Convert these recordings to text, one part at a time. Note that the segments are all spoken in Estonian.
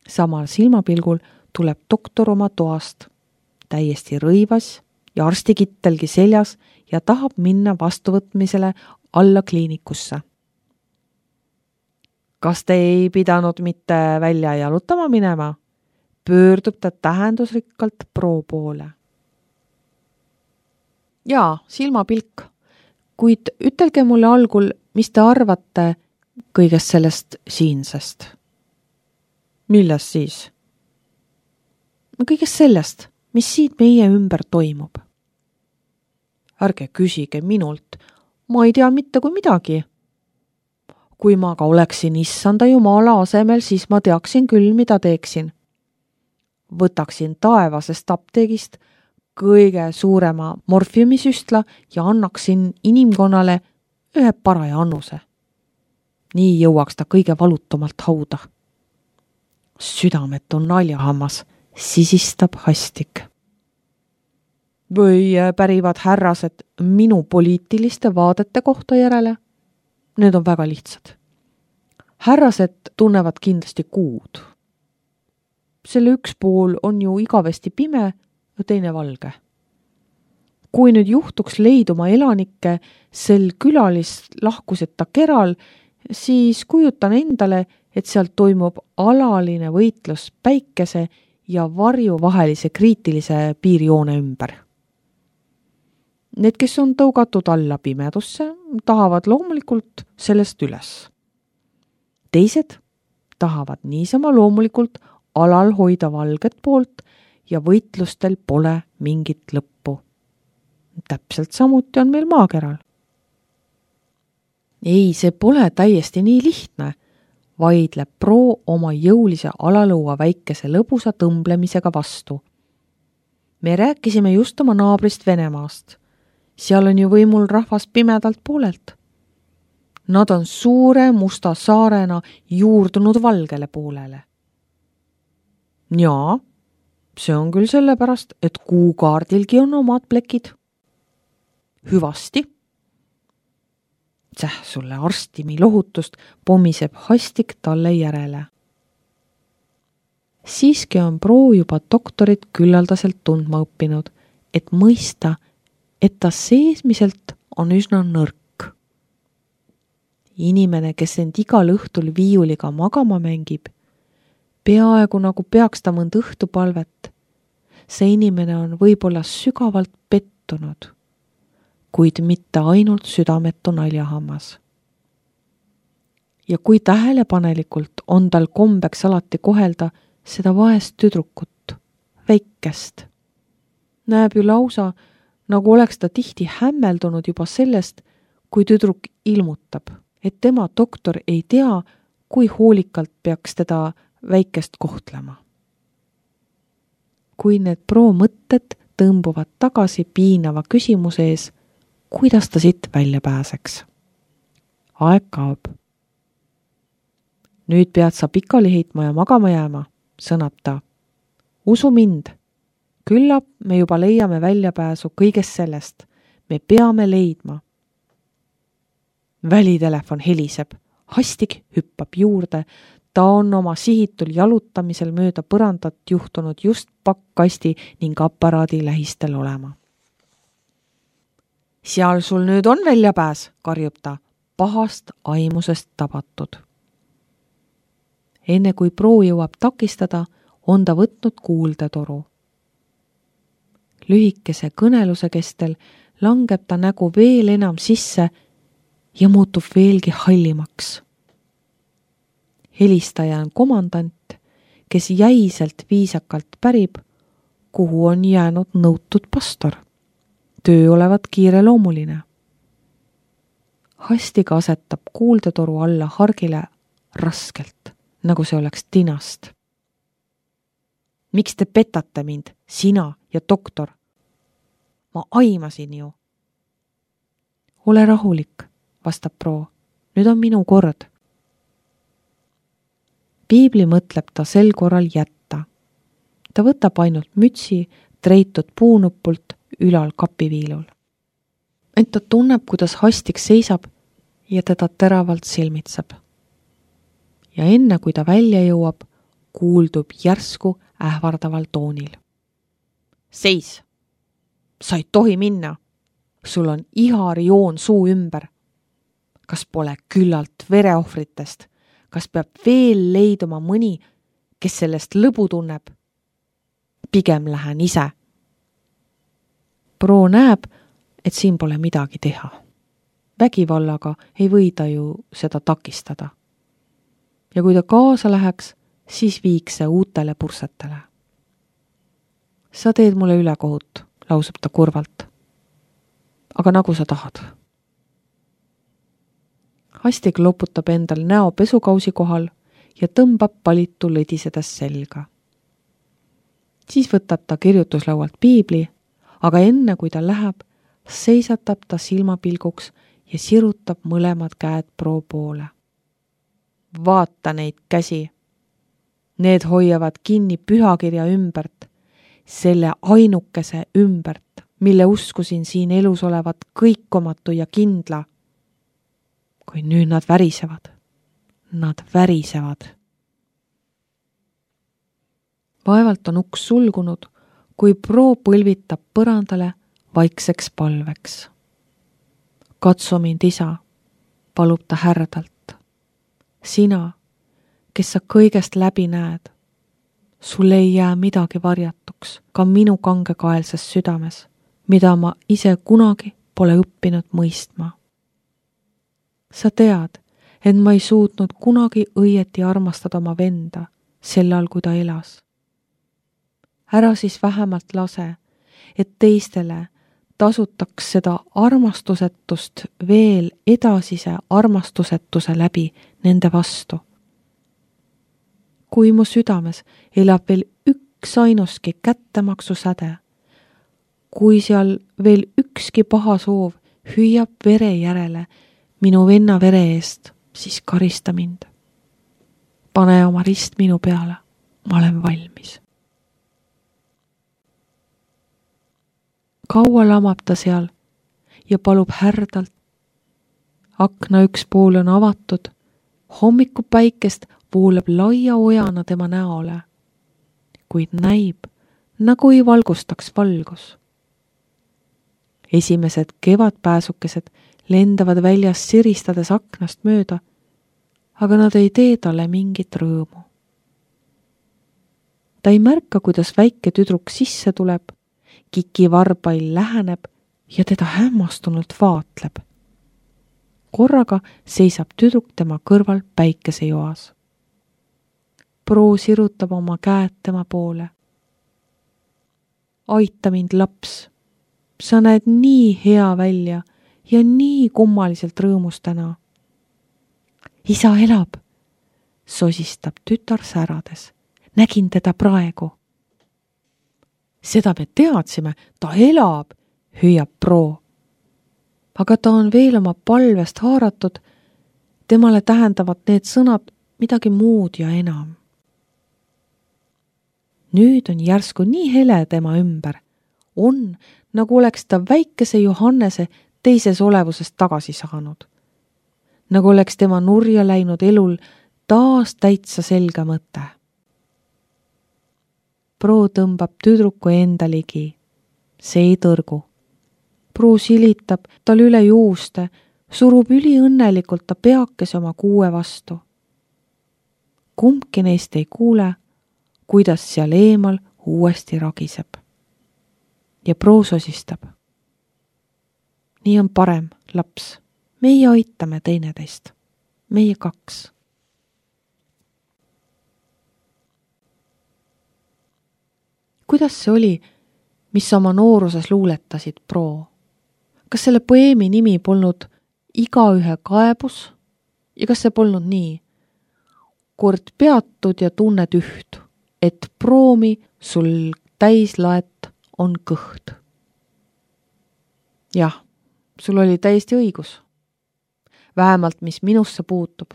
Samal silmapilgul tuleb doktor oma toast, täiesti rõivas ja arstikittelgi seljas ja tahab minna vastuvõtmisele alla kliinikusse. Kas te ei pidanud mitte välja jalutama minema? Pöördub ta tähendusrikkalt Pro poole. Jaa, silmapilk, kuid ütelge mulle algul, mis te arvate kõigest sellest siinsest. Millest siis? Kõigest sellest, mis siit meie ümber toimub. Ärge küsige minult, ma ei tea mitte kui midagi. Kui ma ka oleksin issanda Jumala asemel, siis ma teaksin küll, mida teeksin. Võtaksin taevasest apteegist kõige suurema morfiumisüstla ja annaksin inimkonnale ühe paraja annuse. Nii jõuaks ta kõige valutumalt hauda. Südametu naljahammas sisistab Hastik. Või pärivad härrased minu poliitiliste vaadete kohta järele? Need on väga lihtsad. Härrased tunnevad kindlasti kuud. Selle üks pool on ju igavesti pime ja teine valge. Kui nüüd juhtuks leiduma elanikke sel külalislahkuseta keral, siis kujutan endale, et sealt toimub alaline võitlus päikese ja varju vahelise kriitilise piirjoone ümber. Need, kes on tõugatud alla pimedusse, tahavad loomulikult sellest üles. Teised tahavad niisama loomulikult alal hoida valget poolt ja võitlustel pole mingit lõppu. Täpselt samuti on meil maakeral. Ei, see pole täiesti nii lihtne, vaidleb Pro oma jõulise alalõua väikese lõbusa tõmblemisega vastu. Me rääkisime just oma naabrist Venemaast. Seal on ju võimul rahvas pimedalt poolelt. Nad on suure musta saarena juurdunud valgele poolele. Jaa, see on küll sellepärast, et kuukaardilgi on omad plekid. Hüvasti. Sulle arstimi lohutust pomiseb Hastik talle järele. Siiski on Pro juba doktorit küllaldaselt tundma õppinud, et mõista, et ta seesmiselt on üsna nõrk. Inimene, kes end igal õhtul viiuliga magama mängib, peaaegu nagu peaks ta mõnd õhtupalvet. See inimene on võib-olla sügavalt pettunud, kuid mitte ainult südametu naljahammas. Ja kui tähelepanelikult on tal kombeks alati kohelda seda vaest tüdrukut, väikest. Näeb ju lausa, nagu oleks ta tihti hämmeldunud juba sellest, kui tüdruk ilmutab, et tema doktor ei tea, kui hoolikalt peaks teda väikest kohtlema. Kui need Pro mõtted tõmbuvad tagasi piinava küsimuse ees, kuidas ta siit välja pääseks? Aeg kaob. Nüüd pead sa pikali heitma ja magama jääma, sõnab ta. Usu mind. Küllap me juba leiame väljapääsu kõigest sellest. Me peame leidma. Välitelefon heliseb. Hastik hüppab juurde. Ta on oma sihitul jalutamisel mööda põrandat juhtunud just pakkasti ning aparaadi lähistel olema. Seal sul nüüd on väljapääs, karjub ta, pahast aimusest tabatud. Enne kui Pro jõuab takistada, on ta võtnud kuuldetoru. Lühikese kõneluse kestel langeb ta nägu veel enam sisse ja muutub veelgi hallimaks. Helistaja on komandant, kes jäiselt viisakalt pärib, kuhu on jäänud nõutud pastor. Töö olevat kiireloomuline. Hastik asetab kuuldetoru alla hargile raskelt, nagu see oleks tinast. Miks te petate mind, sina ja doktor? Ma aimasin ju. Ole rahulik, vastab Pro. Nüüd on minu kord. Piibli mõtleb ta sel korral jätta. Ta võtab ainult mütsi treitud puunupult ülal kapiviilul. Ent ta tunneb, kuidas Hastik seisab ja teda teravalt silmitseb. Ja enne kui ta välja jõuab, kuuldub järsku ähvardaval toonil. Seis! Sa ei tohi minna! Sul on iharjoon suu ümber. Kas pole küllalt vereohvritest? Kas peab veel leiduma mõni, kes sellest lõbu tunneb? Pigem lähen ise. Pro näeb, et siin pole midagi teha. Vägivallaga ei või ta ju seda takistada. Ja kui ta kaasa läheks, siis viiks see uutele pursetele. Sa teed mulle ülekohut, lausub ta kurvalt. Aga nagu sa tahad. Hastig loputab endal näo pesukausi kohal ja tõmbab palitu lõdisedes selga. Siis võtab ta kirjutuslaualt piibli, aga enne kui ta läheb, seisatab ta silmapilguks ja sirutab mõlemad käed Pro poole. Vaata neid käsi. Need hoiavad kinni pühakirja ümbert, selle ainukese ümbert, mille uskusin siin elus olevat kõikomatu ja kindla. Kui nüüd nad värisevad. Nad värisevad. Vaevalt on uks sulgunud, kui Pro põlvitab põrandale vaikseks palveks. Katsu mind, isa, palub ta härdalt. Sina, kes sa kõigest läbi näed, sul ei jää midagi varjatuks ka minu kangekaelses südames, mida ma ise kunagi pole õppinud mõistma. Sa tead, et ma ei suutnud kunagi õieti armastada oma venda, sellal kui ta elas. Ära siis vähemalt lase, et teistele tasutaks seda armastusetust veel edasise armastusetuse läbi nende vastu. Kui mu südames elab veel üks ainuski kättemaksusäde, kui seal veel ükski paha soov hüüab vere järele minu venna vere eest, siis karista mind. Pane oma rist minu peale, ma olen valmis. Kaua lamab ta seal ja palub härdalt. Akna üks pool on avatud, hommikupäikest voolab laia ojana tema näole, kuid näib, nagu ei valgustaks valgus. Esimesed kevadpääsukesed lendavad väljas siristades aknast mööda, aga nad ei tee talle mingit rõõmu. Ta ei märka, kuidas väike tüdruk sisse tuleb, Kiki varbail läheneb ja teda hämmastunult vaatleb. Korraga seisab tüdruk tema kõrval päikesejoas. Pro sirutab oma käed tema poole. Aita mind, laps. Sa näed nii hea välja ja nii kummaliselt rõõmus täna. Isa elab, sosistab tütar särades. Nägin teda praegu. Seda me teadsime, ta elab, hüüab Pro. Aga ta on veel oma palvest haaratud, temale tähendavad need sõnad midagi muud ja enam. Nüüd on järsku nii hele tema ümber. On, nagu oleks ta väikese Johannese teises olevusest tagasi saanud. Nagu oleks tema nurja läinud elul taas täitsa selge mõte. Pro tõmbab tüdruku enda ligi. See ei tõrgu. Pro silitab tal üle juuste, surub üliõnnelikult ta peakese oma kuue vastu. Kumbki neist ei kuule, kuidas seal eemal uuesti ragiseb. Ja Pro sosistab. Nii on parem, laps. Meie aitame teineteist. Meie kaks. Kuidas see oli, mis oma nooruses luuletasid, Pro? Kas selle poeemi nimi polnud Igaühe kaebus? Ja kas see polnud nii? Kord peatud ja tunned üht, et proomi sul täislaet on kõht. Jah, sul oli täiesti õigus. Vähemalt mis minusse puutub.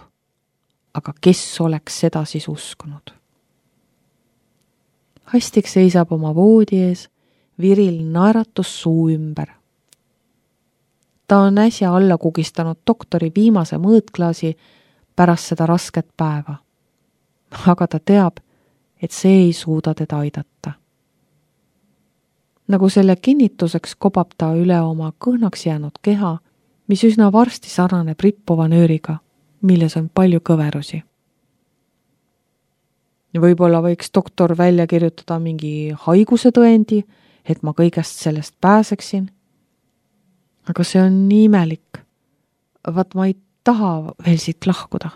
Aga kes oleks seda siis uskunud? Hastig seisab oma voodi ees, viril naeratus suu ümber. Ta on äsja alla kugistanud doktori viimase mõõtklaasi pärast seda rasket päeva. Aga ta teab, et see ei suuda teda aidata. Nagu selle kinnituseks kobab ta üle oma kõhnaks jäänud keha, mis üsna varsti sarnaneb rippuva nööriga, milles on palju kõverusi. Võib-olla võiks doktor välja kirjutada mingi haiguse tõendi, et ma kõigest sellest pääseksin. Aga see on nii imelik. Vaat ma ei taha veel siit lahkuda.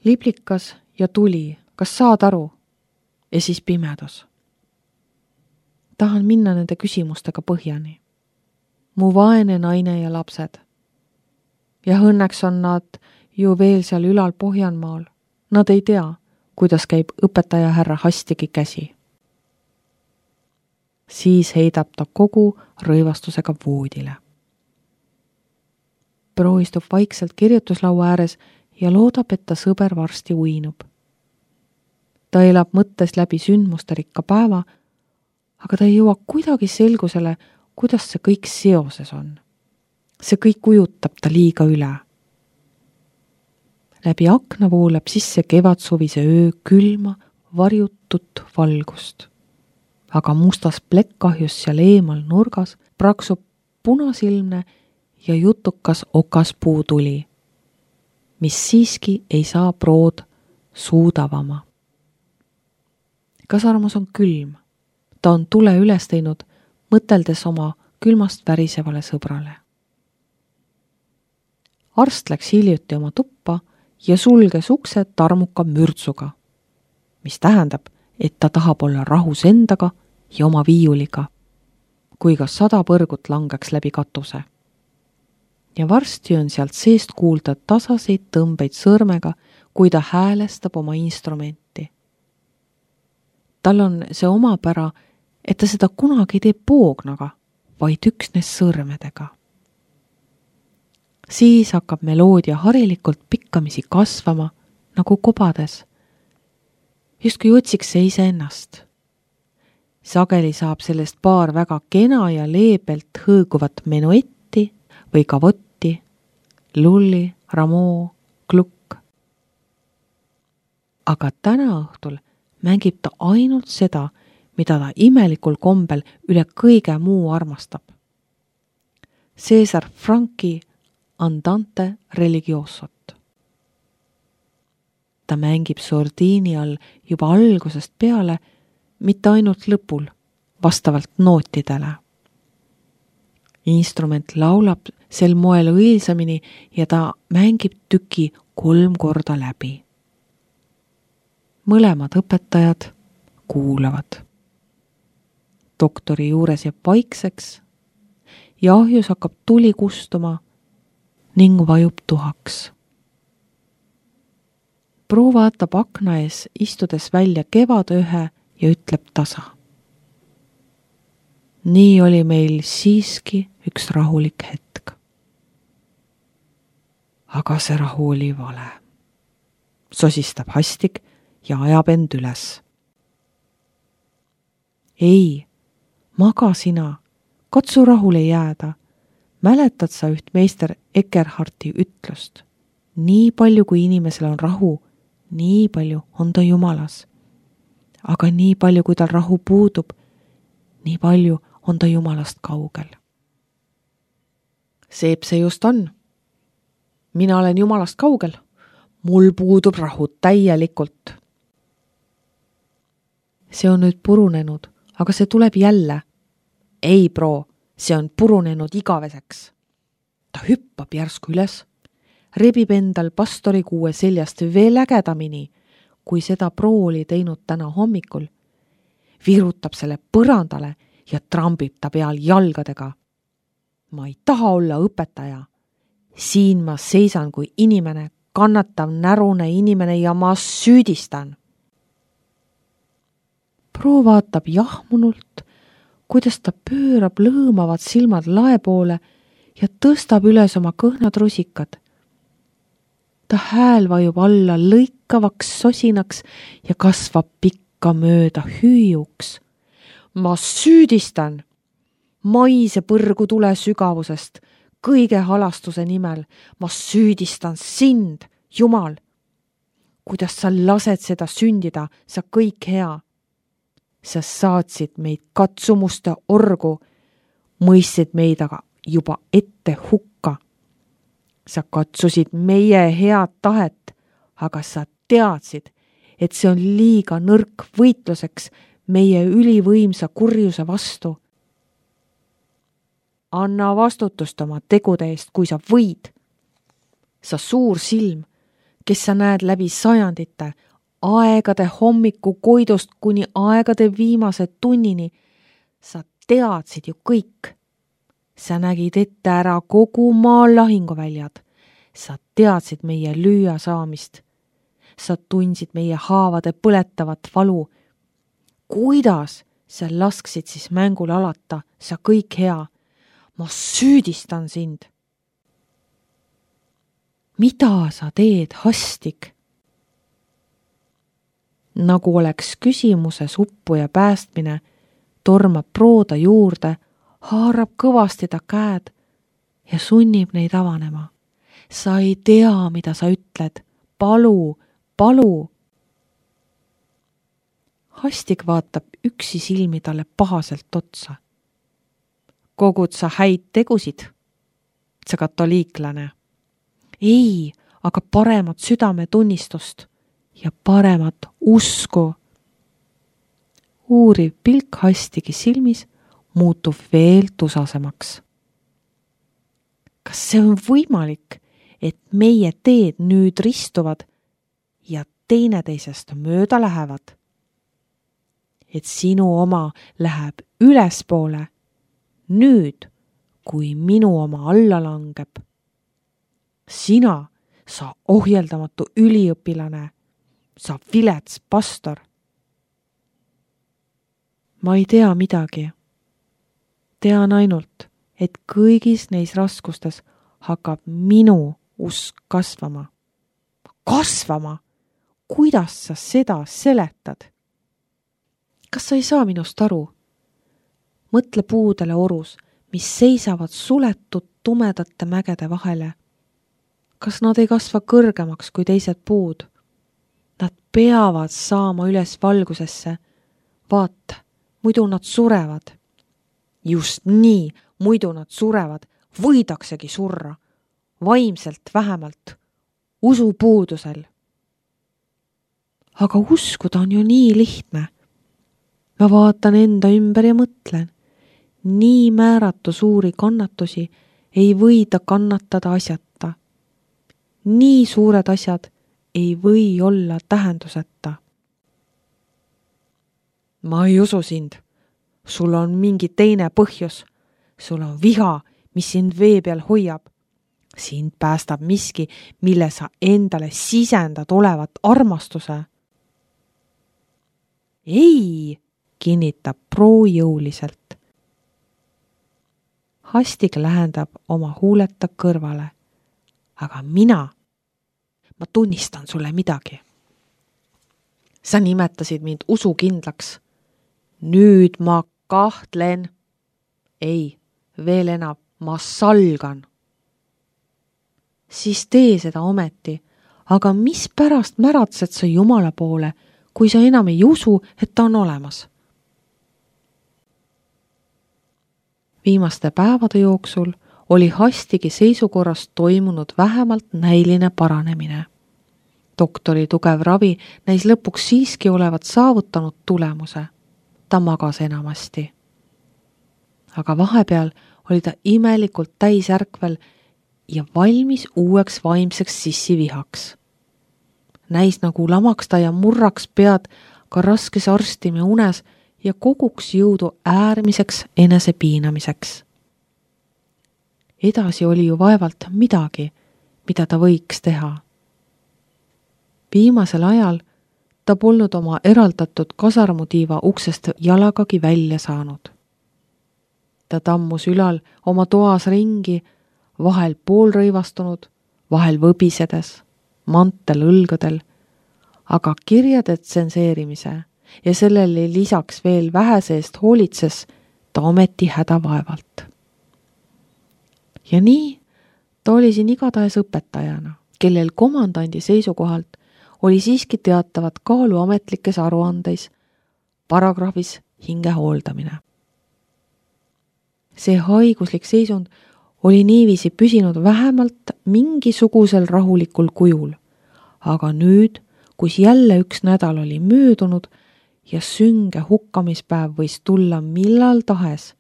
Liblikas ja tuli, kas saad aru? Ja siis pimedus. Tahan minna nende küsimustega põhjani. Mu vaene naine ja lapsed. Ja õnneks on nad ju veel seal ülal Pohjanmaal. Nad ei tea, kuidas käib õpetaja härra Hastigi käsi. Siis heidab ta kogu rõivastusega voodile. Pro istub vaikselt kirjutuslaua ääres ja loodab, et ta sõber varsti uinub. Ta elab mõttes läbi sündmuste rikka päeva, aga ta ei jõua kuidagi selgusele, kuidas see kõik seoses on. See kõik ujutab ta liiga üle. Läbi akna voolab sisse kevadsuvise öö külma, varjutut valgust. Aga mustas plekkahjus seal eemal nurgas praksub punasilmne ja jutukas okaspuutuli, mis siiski ei saa Prood suudavama. Kasarmus on külm. Ta on tule üles teinud, mõteldes oma külmast värisevale sõbrale. Arst läks hiljuti oma tuppa ja sulges ukse tarmuka mürtsuga, mis tähendab, et ta tahab olla rahus endaga ja oma viiuliga, kui ka 100 põrgut langeks läbi katuse. Ja varsti on sealt seest kuulda tasaseid tõmbeid sõrmega, kui ta häälestab oma instrumenti. Tal on see omapära, et ta seda kunagi ei tee poognaga, vaid üksnes sõrmedega. Siis hakkab meloodia harilikult pikkamisi kasvama, nagu kobades. Justkui otsiks see iseennast. Sageli saab sellest paar väga kena ja leebelt hõõguvat menuetti või kavotti, lulli, ramoo, klukk. Aga täna õhtul mängib ta ainult seda, mida ta imelikul kombel üle kõige muu armastab. César Franki Andante Religiosot. Ta mängib sordiini all juba algusest peale, mitte ainult lõpul, vastavalt nootidele. Instrument laulab sel moel õilsamini ja ta mängib tüki 3 korda läbi. Mõlemad õpetajad kuulavad. Doktori juures jääb vaikseks ja ahjus hakkab tuli kustuma ning vajub tuhaks. Pro vaatab akna ees istudes välja kevadöhe ja ütleb tasa. Nii oli meil siiski üks rahulik hetk. Aga see rahu oli vale. Sosistab Hastik ja ajab end üles. Ei, maga sina, katsu rahule jääda. Mäletad sa üht meister Eckerharti ütlust? Nii palju, kui inimesel on rahu, nii palju on ta Jumalas. Aga nii palju, kui tal rahu puudub, nii palju on ta Jumalast kaugel. Seep see just on. Mina olen Jumalast kaugel. Mul puudub rahu täielikult. See on nüüd purunenud, aga see tuleb jälle. Ei, Pro, see on purunenud igaveseks. Ta hüppab järsku üles, rebib endal pastori kuue seljast veel ägedamini, kui seda Pro oli teinud täna hommikul, virutab selle põrandale ja trambib ta peal jalgadega. Ma ei taha olla õpetaja. Siin ma seisan kui inimene, kannatav närune inimene ja ma süüdistan. Pro vaatab jahmunult, kuidas ta pöörab lõõmavad silmad lae poole ja tõstab üles oma kõhnad rusikad. Ta hääl vajub alla lõikavaks sosinaks ja kasvab pikka mööda hüüjuks. Ma süüdistan! Maise põrgu tule sügavusest, kõige halastuse nimel. Ma süüdistan sind, Jumal! kuidas sa lased seda sündida, sa kõik hea. Sa saatsid meid katsumuste orgu, mõistsid meid aga juba ette hukka. Sa katsusid meie head tahet, aga sa teadsid, et see on liiga nõrk võitluseks meie ülivõimsa kurjuse vastu. Anna vastutust oma tegude eest, kui sa võid. Sa suur silm, kes sa näed läbi sajandite, aegade hommiku koidust kuni aegade viimase tunnini, sa teadsid ju kõik. Sa nägid ette ära kogu maa lahinguväljad. Sa teadsid meie lüüa saamist. Sa tundsid meie haavade põletavat valu. Kuidas sa lasksid siis mängul alata, sa kõik hea? Ma süüdistan sind. Mida sa teed, Hastik? Nagu oleks küsimuses uppuja päästmine, tormab Prooda juurde, haarab kõvasti ta käed ja sunnib neid avanema. Sa ei tea, mida sa ütled. Palu, palu. Hastik vaatab üksi silmi talle pahaselt otsa. Kogud sa häid tegusid? Sa katoliiklane. Ei, aga paremat südametunnistust ja paremat usku. Uuriv pilk Hastigi silmis muutub veel tusasemaks. Kas see on võimalik, et meie teed nüüd ristuvad ja teineteisest mööda lähevad? Et sinu oma läheb ülespoole, nüüd, kui minu oma alla langeb. Sina, sa ohjeldamatu üliõpilane, sa vilets pastor. Ma ei tea midagi. Tean ainult, et kõigis neis raskustes hakkab minu usk kasvama. Kasvama? Kuidas sa seda seletad? Kas sa ei saa minust aru? Mõtle puudele orus, mis seisavad suletud tumedate mägede vahele. Kas nad ei kasva kõrgemaks kui teised puud? Nad peavad saama üles valgusesse. Vaata, muidu nad surevad. Just nii, muidu nad surevad, võidaksegi surra. Vaimselt vähemalt, usupuudusel. Aga uskuda on ju nii lihtne. Ma vaatan enda ümber ja mõtlen. Nii määratu suuri kannatusi ei võida kannatada asjata. Nii suured asjad ei või olla tähenduseta. Ma ei usu sind. Sul on mingi teine põhjus. Sul on viha, mis sind vee peal hoiab. Sind päästab miski, mille sa endale sisendad olevat armastuse. Ei, kinnitab Proo jõuliselt. Hastik lähendab oma huuleta kõrvale. Aga ma tunnistan sulle midagi. Sa nimetasid mind usukindlaks. Nüüd ma kahtlen. Ei, veel enam, ma salgan. Siis tee seda ometi, aga mis pärast märatsed sa Jumala poole, kui sa enam ei usu, et ta on olemas? Viimaste päevade jooksul oli Hastigi seisukorrast toimunud vähemalt näiline paranemine. Doktori tugev ravi näis lõpuks siiski olevat saavutanud tulemuse. Ta magas enamasti. Aga vahepeal oli ta imelikult täisärkvel ja valmis uueks vaimseks sissivihaks. Näis nagu lamaks ta ja murraks pead ka raskes arstime unes ja koguks jõudu äärmiseks enesepiinamiseks. Edasi oli ju vaevalt midagi, mida ta võiks teha. Viimasel ajal ta polnud oma eraldatud kasarmutiiva uksest jalagagi välja saanud. Ta tammus ülal oma toas ringi, vahel poolrõivastunud, vahel võbisedes, mantel õlgadel, aga kirjade tsenseerimise ja sellele lisaks veel vähese eest hoolitses ta ometi hädavaevalt. Ja nii ta oli siin igatahes õpetajana, kellel komandandi seisukohalt oli siiski teatavat kaalu ametlikes aruandeis, paragrahvis hinge hooldamine. See haiguslik seisund oli niiviisi püsinud vähemalt mingisugusel rahulikul kujul, aga nüüd, kus jälle üks nädal oli möödunud ja sünge hukkamispäev võis tulla millal tahes,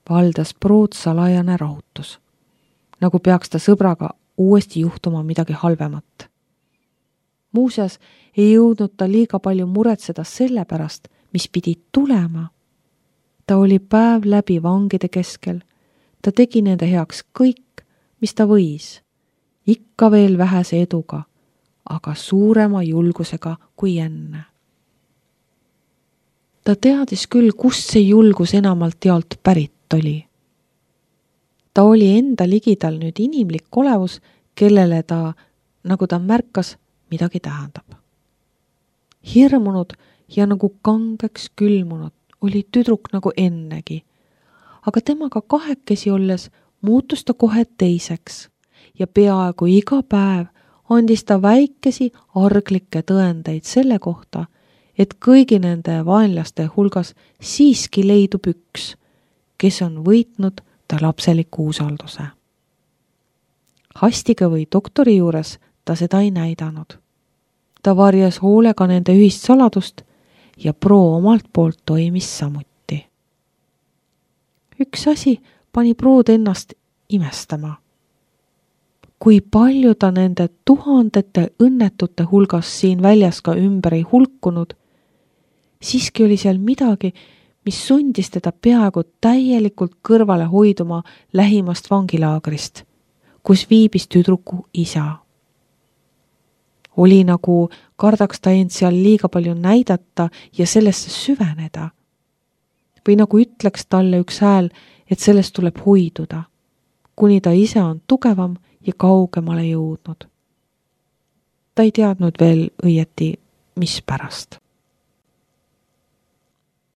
valdas Prood salajane rahutus, nagu peaks ta sõbraga uuesti juhtuma midagi halvemat. Muuseas ei jõudnud ta liiga palju muretseda selle pärast, mis pidi tulema. Ta oli päev läbi vangide keskel, ta tegi nende heaks kõik, mis ta võis, ikka veel vähese eduga, aga suurema julgusega kui enne. Ta teadis küll, kust see julgus enamalt jaolt pärit oli. Ta oli enda ligidal nüüd inimlik olevus, kellele ta, nagu ta märkas, midagi tähendab. Hirmunud ja nagu kangeks külmunud oli tüdruk nagu ennegi, aga temaga kahekesi olles muutus ta kohe teiseks ja peaaegu iga päev andis ta väikesi arglikke tõendeid selle kohta, et kõigi nende vaenlaste hulgas siiski leidub üks, kes on võitnud ta lapseliku usalduse. Hastiga või doktori juures ta seda ei näidanud. Ta varjas hoolega nende ühist saladust ja Pro omalt poolt toimis samuti. Üks asi pani Prood ennast imestama. Kui palju ta nende tuhandete õnnetute hulgas siin väljas ka ümber ei hulkunud, siiski oli seal midagi, mis sundis teda peaaegu täielikult kõrvale hoiduma lähimast vangilaagrist, kus viibis tüdruku isa. Oli nagu kardaks ta end seal liiga palju näidata ja sellesse süveneda. Või nagu ütleks talle üks hääl, et sellest tuleb hoiduda, kuni ta ise on tugevam ja kaugemale jõudnud. Ta ei teadnud veel õieti, mis pärast.